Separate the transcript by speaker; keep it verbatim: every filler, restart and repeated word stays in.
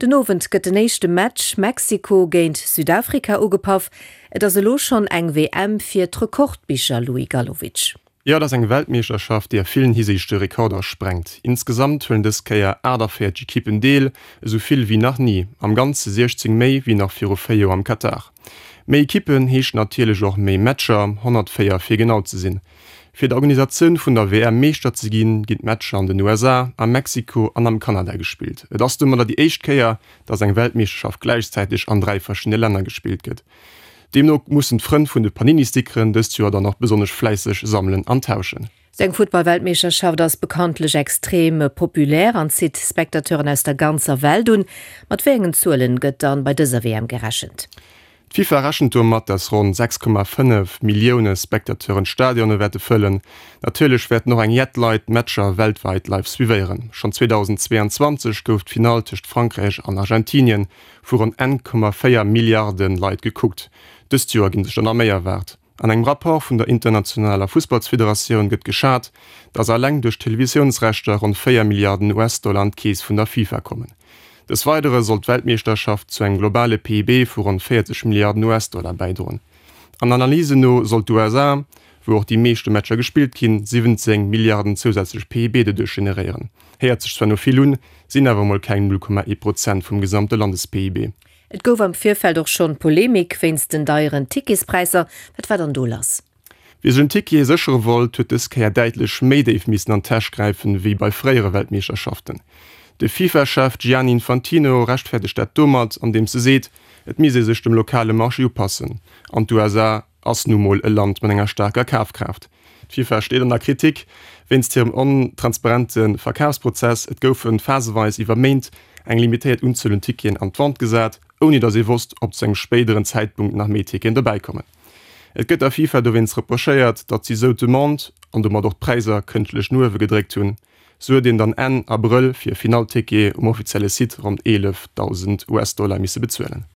Speaker 1: Den Owend gëtt den éischte Match Mexiko géint Südafrika ugepaff. Et ass elo schonn eng W M fir d'Rekordbicher, Louis Galowitsch.
Speaker 2: Jo, dat ass eng Weltmeeschterschaft, déi a villen Hisiichte Rekorder sprengt. Insgesamt huelen dës Kéier achtaféierzeg Ekippen deel, esou vill wéi nach ni, am Ganze siechzéng méi wéi nach viru véier Joer am Katar. Méi Ekippen heescht natierlech och méi Matcher, honnertvéier fir genau ze sinn. Fir d'Organisatioun vun der W M Meeschter ze ginn, ginn d'Matcher an den U S A, a Mexiko an am Kanada gespillt. Et ass domadder déi éischt Kéier, dass eng Weltmeeschterschaft gläichzäiteg an dräi verschiddene Länner gespillt gëtt. Deemno mussen d'Frënn vun de Panini-Stickeren dëst Joer dann och besonnesch fläisseg sammelen an tauschen.
Speaker 1: Sou eng Futtballweltmeeschterschaft ass bekanntlech extrem populär an zitt Spectateuren aus der ganzer Welt un. Mat wéi engen Zuelen gëtt dann bei dëser W M gerechent?
Speaker 2: D'FIFA rechent domat, dass ronn sechs Komma fënnef Millioune Spectateuren d'Stadione wäerte fëllen. Natierlech wäerten och eng jett Leit d'Matcher weltwäit live suivéieren. Schonn zweedausendzweeanzwanzeg gouf d'Finall tëscht Frankräich an Argentinien vu ronn eng Komma véier Milliarde Leit gekuckt. Dëst Joer ginn sech der nach méi erwaart. An engem Rapport vun der internationaler Fussballsfederatioun gëtt geschat, dass eleng duerch d'Televisiounsrechter ronn véier Milliarden U S-Dollar an d'Keess vun der FIFA kommen. Des Weidere soll d'Weltmeeschterschaft zu engem globale P I B vu ronn véierzeg Milliarden U S-Dollar bäidroen. An Analysen no soll d'U S A, wou och déi meeschte Matcher gespillt ginn, siwwenzéng Milliarden zousätzlech P I B doduerch generéieren. Héiert sech zwar no vill un, sinn awer mol keng null Komma ee Prozent vum gesamte Landes-P I B.
Speaker 1: Et gouf am Virfeld och schonn Polemik wéinst den deieren Ticketspräisser. Wat war dann do lass?
Speaker 2: Wie sech en Ticket séchere wollt, huet dës Kéier däitlech méi déif missen an d'Täsch gräifen, wéi bei fréiere Weltmeeschterschaften. De FIFA-Chef Gianni Infantino rechtfäerdegt dat domat, andeems e seet, et misst ee sech dem lokale Marché upassen. An d'U S A ass nu mol e Land mat enger staarker Kafkraaft. D'FIFA steet an der Kritik wéinst hirem ontransparente Verkafsprozess. Et goufe phaseweis iwwer Méint eng limitéiert Unzuel un Ticketen an d'Vente gesat, ouni datt ee wosst, ob zu engem spéideren Zäitpunkt nach méi Ticketen dobäikommen. Et gëtt der FIFA dowéinst reprochéiert, datt si sou d'Demande an domat och d'Präisser kënschtlech no uewe gedréckt hunn. Sou huet een dann Enn Abrëll fir e Finallticket um offizielle Site ronn eelefdausend U S-Dollar misse bezuelen.